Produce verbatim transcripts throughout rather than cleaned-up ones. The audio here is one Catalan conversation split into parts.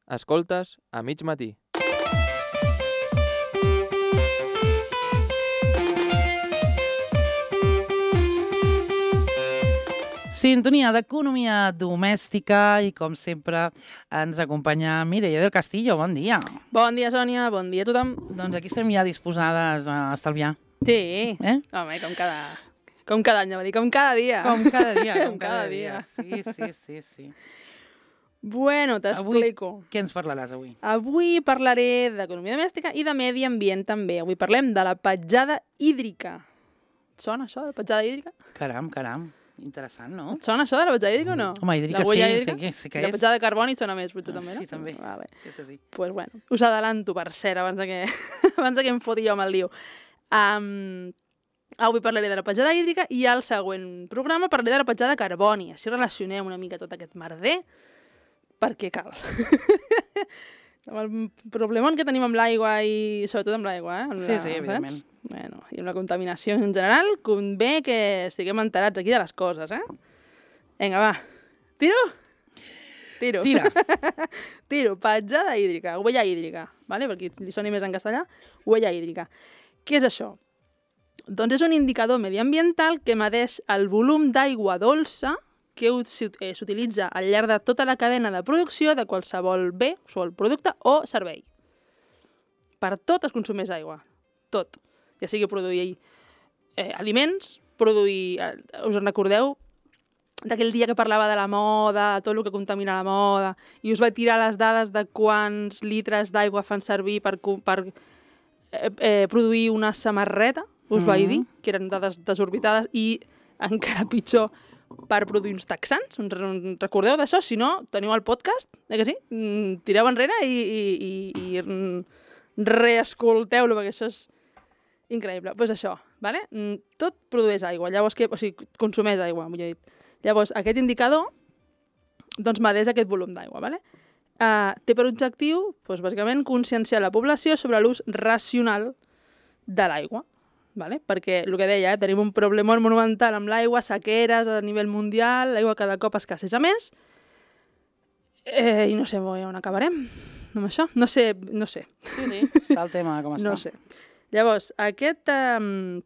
Escoltes a mig matí. Sintonia d'economia domèstica i, com sempre, ens acompanya Mireia del Castillo. Bon dia. Bon dia, Sònia. Bon dia a tothom. Doncs aquí estem ja disposades a estalviar. Sí. Eh? Home, com cada... Com cada any, va dir, com cada dia. Com cada dia, com, Com cada, cada dia. dia. Sí, sí, sí, sí. Bueno, t'explico. Què ens parlaràs avui? Avui parlaré d'economia domèstica i de medi ambient també. Avui parlem de la petjada hídrica. Et sona això, de la petjada hídrica? Caram, caram. Interessant, no? Et sona això de la petjada hídrica o no? Home, hídrica la sí, huella sí hídrica? que, sí que I la és. petjada de carboni et sona més, potser Ah, també, no? sí, també. Vale. Aquesta sí. Pues bueno, us adelanto, per cert, abans de que, abans de que em foti jo amb el lío. Um, avui parlaré de la petjada hídrica i al següent programa parlaré de la petjada de carboni. Així relacionem una mica tot aquest merder, perquè cal. Amb el problemon que tenim amb l'aigua i sobretot amb l'aigua, eh? Amb Sí, la, sí, evidentment. saps? Bueno, i amb la contaminació en general, convé que estiguem enterats aquí de les coses, eh? Vinga, va. Tiro? Tiro. Tira. Tiro. Petjada hídrica, huella hídrica, ¿vale? Perquè li soni més en castellà, huella hídrica. Què és això? Doncs és un indicador mediambiental que medeix el volum d'aigua dolça que s'utilitza al llarg de tota la cadena de producció de qualsevol bé, qualsevol producte o servei. Per tot es consumeix aigua. Tot. Ja sigui produir eh, aliments, produir... Eh, us en recordeu d'aquell dia que parlava de la moda, tot el que contamina la moda, i us vaig tirar les dades de quants litres d'aigua fan servir per, per eh, eh, produir una samarreta, us Mm-hmm. vaig dir, que eren dades desorbitades, i encara pitjor per produir uns texans. Us recordeu d'això? Si no, teniu el podcast, eh que sí? Mm, tireu enrere i, i, i, i mm, reescolteu-lo, perquè això és increïble. Doncs pues això, vale? Mm, tot produeix aigua, llavors que, o sigui, consumeix aigua, vull dir. Llavors, aquest indicador doncs, medeix aquest volum d'aigua. Vale? Uh, té per objectiu, doncs, bàsicament, conscienciar la població sobre l'ús racional de l'aigua. Vale? Perquè, el que deia, eh, tenim un problemón monumental amb l'aigua, sequeres a nivell mundial, l'aigua cada cop escasseja més, eh, i no sé on acabarem amb això. No sé, no sé. Sí, sí, està el tema com està. No sé. Llavors, aquest... Um,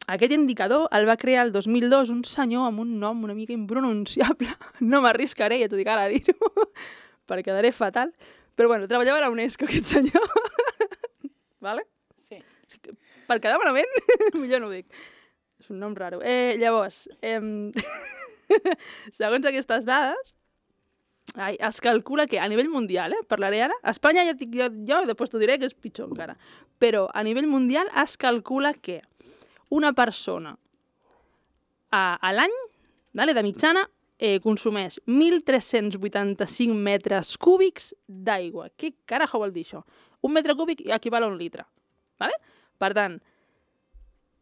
Aquest indicador el va crear el dos mil dos un senyor amb un nom una mica impronunciable. No m'arriscaré, ja t'ho dic ara a dir-ho, perquè quedaré fatal. Però bueno, treballava a la UNESCO, aquest senyor. Vale? Sí. Per quedar malament, millor no ho dic. És un nom raro. Eh, llavors, eh, segons aquestes dades, ai, es calcula que a nivell mundial, eh, parlaré ara, a Espanya ja dic jo, jo després t'ho diré que és pitjor encara, però a nivell mundial es calcula que una persona a, a l'any, vale, de mitjana, eh, consumeix mil tres-cents vuitanta-cinc metres cúbics d'aigua. Què carajo vol dir això? Un metre cúbic equival a un litre. Vale? Per tant...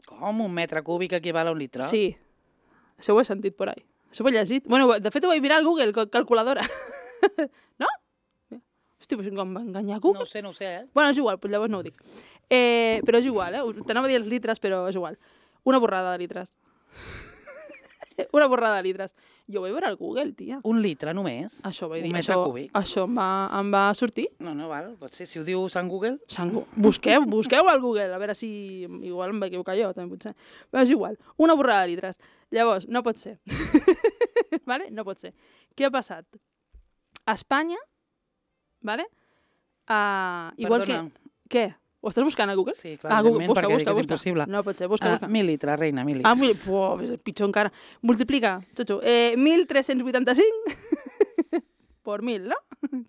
Com un metre cúbic equival a un litre? Sí. Això ho he sentit por ahí. Això ho he llegit. Bueno, de fet ho vaig mirar al Google, calculadora. No? Hosti, però com va enganyar Google? No ho sé, no ho sé, eh? Bueno, és igual, doncs llavors no ho dic. Eh, però és igual, eh? T'anava a dir els litres, però és igual. Una borrada de litres. Una borrada de litres. Jo ho vaig veure al Google, tia. Un litre només? Això vaig dir. Un metre això, cúbic? Això em va, em va sortir. No, no, val. Pot ser, si ho diu Sant Google... Sant Gu- Busqueu, busqueu al Google, a veure si... Igual em vaig equivocar jo, també potser. Però és igual. Una borrada de litres. Llavors, no pot ser. Vale? No pot ser. Què ha passat? A Espanya, vale? Uh, igual Perdona. que... Què? Ho estàs buscant a Google? Sí, clar, Ah, Google, evidentment, busca, perquè busca, dic que és busca. impossible. No pot ser, busca, Ah, busca. mil litres, reina, mil Ah, litres. mil... Uah, és pitjor encara. Multiplica, xotxo. Eh, mil tres-cents vuitanta-cinc por mil, no?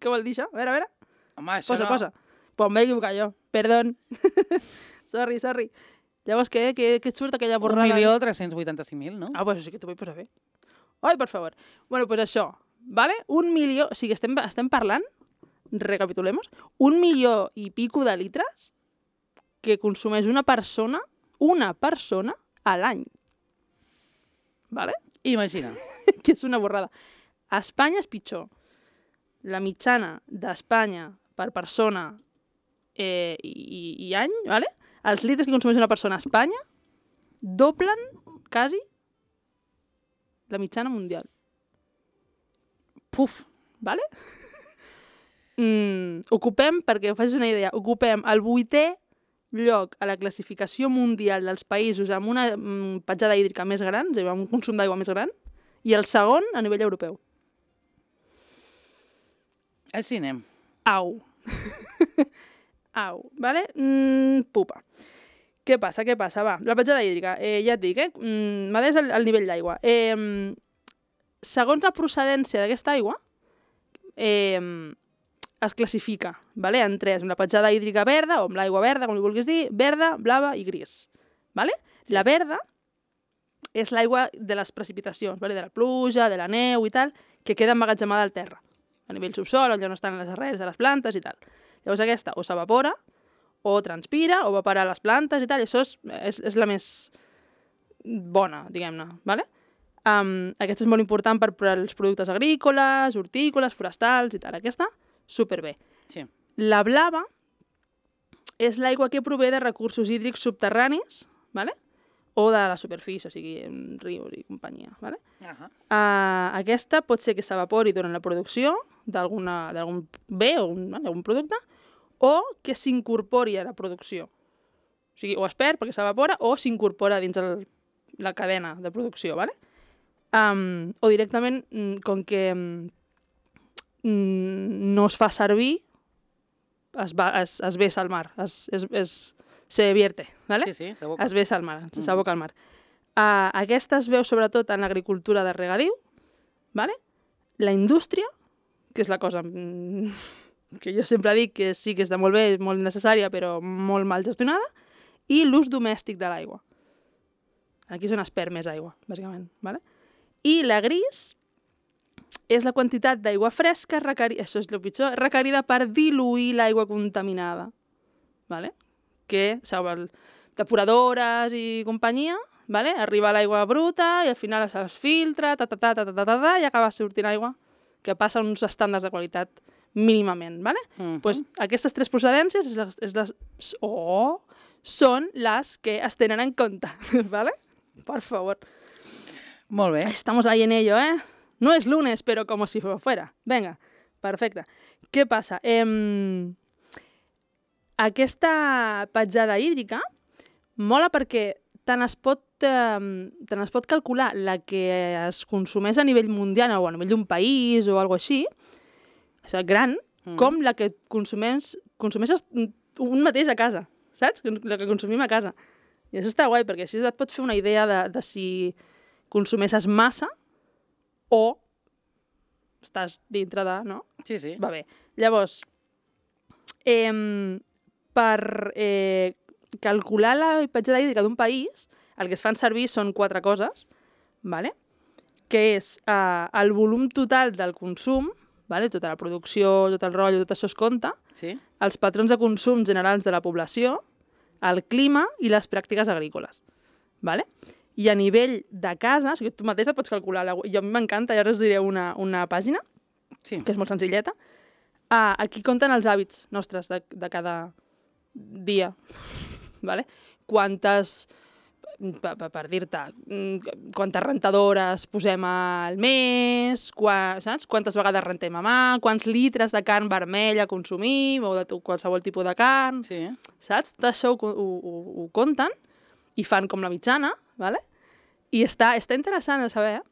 Què vol dir això? A veure, a veure. Home, això Posa, no... posa. Pues m'he equivocat jo. Perdón. sorry, sorry. Llavors, què, què, què et surt aquella Un borrada? milió tres-cents vuitanta-cinc mil, no? Ah, pues sí que t'ho vull posar bé. Ai, per favor. Bueno, pues això, vale? Un milió... O sigui, estem, estem parlant, recapitulemos, un milió i pico de litres que consumeix una persona, una persona, a l'any. Vale? Imagina. Que és una borrada. A Espanya és pitjor. La mitjana d'Espanya per persona eh, i, i any, vale? Els litres que consumeix una persona a Espanya doblen, quasi, la mitjana mundial. Puf. Vale? Mm, ocupem, perquè facis una idea, ocupem el vuitè lloc a la classificació mundial dels països amb una mm, petjada hídrica més gran, és a dir, amb un consum d'aigua més gran, i el segon a nivell europeu. Així anem. Au. Au, vale? Mm, pupa. Què passa, què passa? Va, la petjada hídrica, eh, ja et dic, eh? Mm, m'ha des el, el nivell d'aigua. Eh, segons la procedència d'aquesta aigua, eh, es classifica, vale? En tres, una petjada hídrica verda, o amb l'aigua verda, com li vulguis dir, verda, blava i gris. Vale? La verda és l'aigua de les precipitacions, vale? De la pluja, de la neu i tal, que queda emmagatzemada al terra, a nivell subsol, on estan les arrels de les plantes i tal. Llavors aquesta o s'evapora, o transpira, o va parar a les plantes i tal, i això és, és, és la més bona, diguem-ne, vale? Um, aquesta és molt important per, per als productes agrícoles, hortícoles, forestals i tal. Aquesta, superbé. Sí. La blava és l'aigua que prové de recursos hídrics subterranis, vale? O de la superfície, o sigui, rius i companyia. Vale? Uh -huh. uh, aquesta pot ser que s'evapori durant la producció d'algun bé o un, vale, algun producte, o que s'incorpori a la producció. O sigui, o es perd perquè s'evapora o s'incorpora dins el, la cadena de producció, ¿vale? Um, o directament, com que um, no es fa servir, es, va, es, es vessa al mar, es, es, es, se vierte, ¿vale? Sí, sí, s'aboca. Es vessa al mar, mm. s'aboca al mar. Uh, aquesta es veu sobretot en l'agricultura de regadiu, ¿vale? La indústria, que és la cosa mm, que jo sempre dic que sí que està molt bé, molt necessària, però molt mal gestionada, i l'ús domèstic de l'aigua. Aquí és on es perd més aigua, bàsicament, ¿vale? I la gris és la quantitat d'aigua fresca requerida, això és el pitjor, requerida per diluir l'aigua contaminada, ¿vale? Que, sabeu, depuradores i companyia, ¿vale? Arriba l'aigua bruta i al final es filtra, ta, ta, ta, ta, ta, ta, ta, i acaba sortint aigua que passa uns estàndards de qualitat mínimament, ¿vale? Uh-huh. Pues aquestes tres procedències és les, és les, oh, són les que es tenen en compte, ¿vale? Por favor. Molt bé. Estamos ahí en ello, ¿eh? No es lunes, pero como si fuera. Venga, perfecte. Què passa? Eh, aquesta petjada hídrica mola perquè tant es pot, eh, tant es pot calcular la que es consumeix a nivell mundial o a nivell d'un país o alguna així, o sigui, gran, mm. com la que consumeix, consumeixes un mateix a casa, saps? La que consumim a casa. I això està guai, perquè així et pot fer una idea de, de si consumeixes massa o estàs dintre de, no? Sí, sí. Va bé. Llavors, eh, per eh, calcular la petjada hídrica d'un país, el que es fan servir són quatre coses, ¿vale? Que és eh, el volum total del consum, ¿vale? Tota la producció, tot el rotllo, tot això es compta, Sí. els patrons de consum generals de la població, el clima i les pràctiques agrícoles, ¿vale? I a nivell de casa, o sigui, tu mateix et pots calcular, la, jo a mi m'encanta, i ara us diré una, una pàgina, Sí. que és molt senzilleta. Ah, aquí compten els hàbits nostres de, de cada dia, ¿vale? Quantes, per, per, per dir-te, quantes rentadores posem al mes, qua, saps? Quantes vegades rentem a mà, quants litres de carn vermella consumim, o de qualsevol tipus de carn, Sí. saps? Tot això ho, ho, ho, ho compten i fan com la mitjana, ¿vale? I està, està interessant de saber, eh?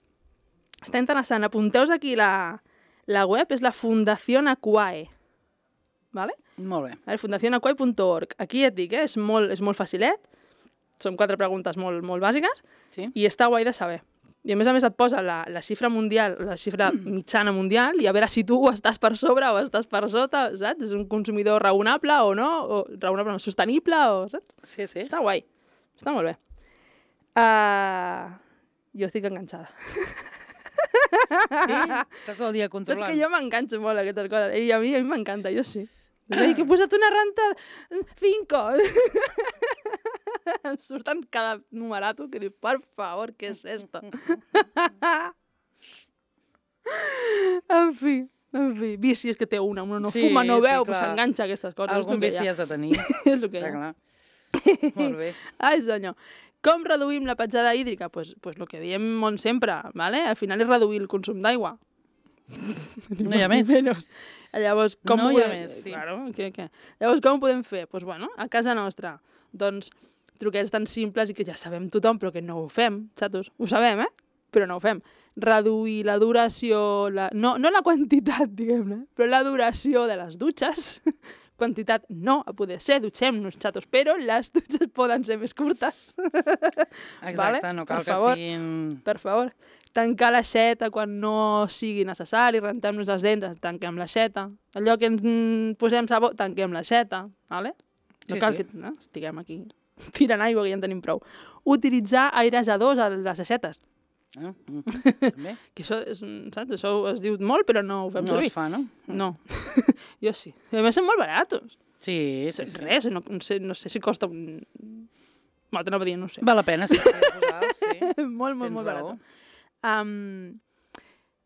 Està interessant. Apunteu aquí la, la web, és la Fundación Aquae, ¿vale? Molt bé. Vale, fundación aquae punt org. Aquí et dic, eh? és, molt, és molt facilet, són quatre preguntes molt, molt bàsiques, Sí. i està guai de saber. I a més a més et posa la, la xifra mundial, la xifra mitjana mundial, i a veure si tu estàs per sobre o estàs per sota, saps? És un consumidor raonable o no, o raonable no, sostenible, o, saps? Sí, sí. Està guai, està molt bé. Uh, jo estic enganxada. Sí? Estàs tot el dia controlant. Saps que jo m'enganxo molt a aquestes coses, i a mi, a mi m'encanta, jo sí. Ai, que he posat una renta cinco. Em surten cada numerato que diu, per favor, què és esto? En fi, en fi. Vici és que té una, una no Sí, fuma, no sí, veu, clar. però s'enganxa a aquestes coses. Algun és el que hi vici ha. has de tenir. És el que hi Està ha. clar. Molt bé. Ai, senyor. Com reduïm la petjada hídrica? Doncs pues, pues lo que diem molt sempre, ¿vale? Al final és reduir el consum d'aigua. No hi ha més. Menos. Llavors, com No ho hi ha podem... més, sí. Claro, què, què? Llavors, com ho podem fer? Doncs, pues, bueno, a casa nostra, doncs, truquets tan simples i que ja sabem tothom, però que no ho fem, xatos. Ho sabem, eh? Però no ho fem. Reduir la duració, la... No, no la quantitat, diguem-ne, però la duració de les dutxes. Quantitat no, a poder ser, dutxem-nos, xatos, però les dutxes poden ser més curtes. Exacte, Vale? no cal Per que favor. siguin... Per favor. Tancar l'aixeta quan no sigui necessari, rentem-nos les dents, tanquem l'aixeta. Allò que ens mm, posem sabó, tanquem l'aixeta, vale? No Sí, cal sí. que no, estiguem aquí tirant aigua, que ja en tenim prou. Utilitzar airejadors a les aixetes. Ah, mm, també. Que això, és, un- saps? Això es diu molt, però no ho fem No servir. es fa, no? No. Jo sí. I a més són molt baratos. Sí, sí, Sí, sí. Res, no, no, sé, no sé si costa un... Bueno, t'anava a dir, no ho sé. Val la pena, sí. sí, posar, sí. molt, molt, Tens molt raó. barat. Um,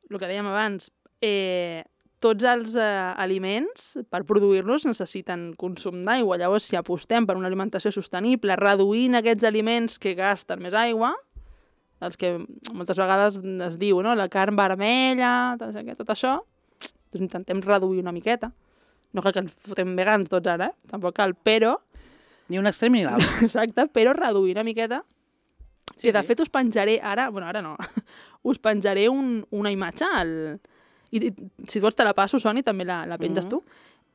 el que dèiem abans, eh, tots els eh, aliments, per produir-los, necessiten consum d'aigua. Llavors, si apostem per una alimentació sostenible, reduint aquests aliments que gasten més aigua, els que moltes vegades es diu, no? La carn vermella, tot això, tot això, doncs intentem reduir una miqueta. No cal que ens fotem vegans tots ara, eh? Tampoc cal, però, Ni un extrem ni l'altre. exacte, però reduir una miqueta. Sí, Sí, de sí. fet, us penjaré ara... Bueno, ara no. Us penjaré un, una imatge al... I, i si vols te la passo, Soni, també la, la penges Mhm. tu.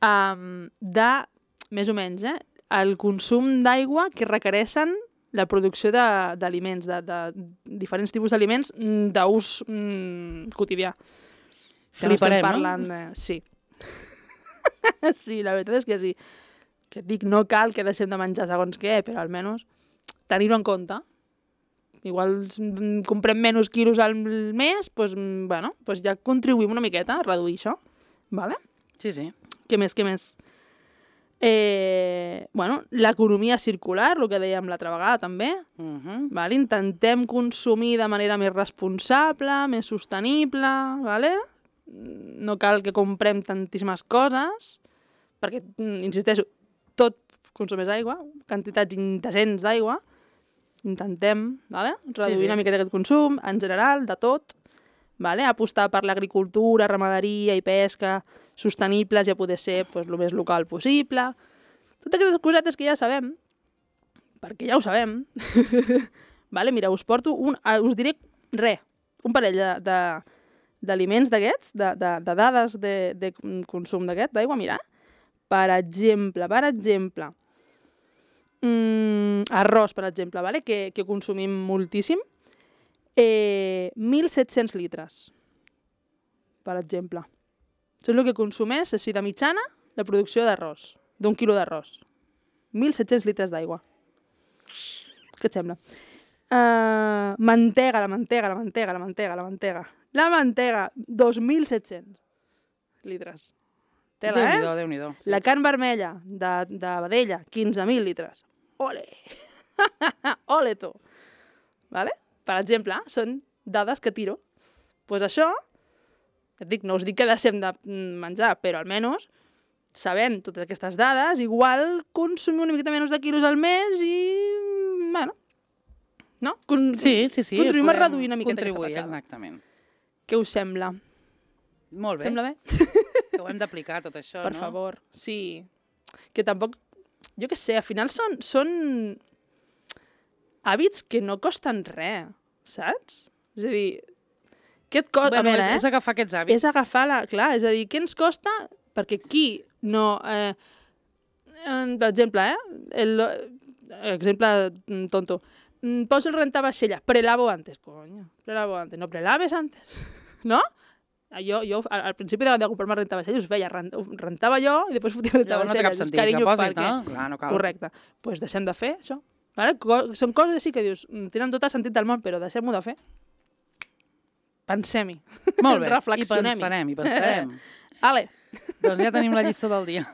Um, de, més o menys, eh, el consum d'aigua que requereixen la producció de- d'aliments, de, de, de diferents tipus d'aliments mm, d'ús mm, quotidià. Que no estem Fliparem, no? parlant de... Sí. Sí, la veritat és que sí. Que et dic, no cal que deixem de menjar segons què, però almenys tenir-ho en compte. Igual mm, comprem menys quilos al mes, doncs, mm, bueno, doncs ja contribuïm una miqueta a reduir això. Vale? Sí, sí. Què més, què més? Eh, bueno, l'economia circular, el que dèiem l'altra vegada també. Uh -huh. Vale? Intentem consumir de manera més responsable, més sostenible, vale? No cal que comprem tantíssimes coses, perquè, mm, insisteixo, tot consumeix aigua, quantitats indecents d'aigua, intentem, vale? reduir Sí, sí. una miqueta aquest consum, en general, de tot, vale? Apostar per l'agricultura, ramaderia i pesca sostenibles i a poder ser pues, el més local possible. Totes aquestes cosetes que ja sabem, perquè ja ho sabem. Vale, mira, us porto un... ah, us diré res, un parell de, de, d'aliments d'aquests, de, de, de dades de, de consum d'aquest, d'aigua, mira. Per exemple, per exemple, mm, arròs, per exemple, vale? que, que consumim moltíssim, eh, mil set-cents litres, per exemple. Això és el que consumeix, així de mitjana, la producció d'arròs, d'un quilo d'arròs. mil set-cents litres d'aigua. Què et sembla? Uh, mantega, la mantega, la mantega, la mantega, la mantega. La mantega, dos mil set-cents litres. Tela, eh? Déu-n'hi-do, Déu-n'hi-do. Sí. La carn vermella de, de vedella, quinze mil litres. Ole! Ole, tu! Vale? Per exemple, són dades que tiro. Doncs pues això, et dic, no us dic que deixem de menjar, però almenys sabent totes aquestes dades, igual consumim una miqueta menys de quilos al mes i, bueno, no? Con Sí, sí, sí. Contribuïm a podem reduir una miqueta aquesta contribuir, petjada. exactament. Què us sembla? Molt bé. Sembla bé? Que ho hem d'aplicar, tot això, Per no? favor, sí. Que tampoc... Jo què sé, al final són, són hàbits que no costen res, saps? És a dir, què et costa... Bueno, a veure, és, eh? és agafar aquests hàbits. És agafar la... Clar, és a dir, què ens costa? Perquè qui no... Eh, eh, per exemple, eh? El, exemple mm, tonto. Mm, Poso el rentavaixella. Prelavo antes, coño. Prelavo antes. No prelaves antes. ¿No? Jo, jo al, al principi de, de comprar-me rentavaixelles us feia, rent, rentava jo i després fotia Llavors no té cap rentavaixelles. sentit que posis, no? Clar, no cal. Correcte. Doncs pues deixem de fer això. Vale? Co són coses així que dius, mm, tenen tot el sentit del món, però deixem-ho de fer. Pensem-hi. Molt bé. I Reflexionem-hi. pensarem, i pensarem. Ale. Doncs ja tenim la lliçó del dia.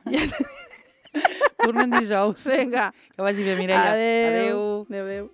Tornem dijous. Vinga. Que vagi bé, Mireia. Adéu. Adéu. Adéu, adéu.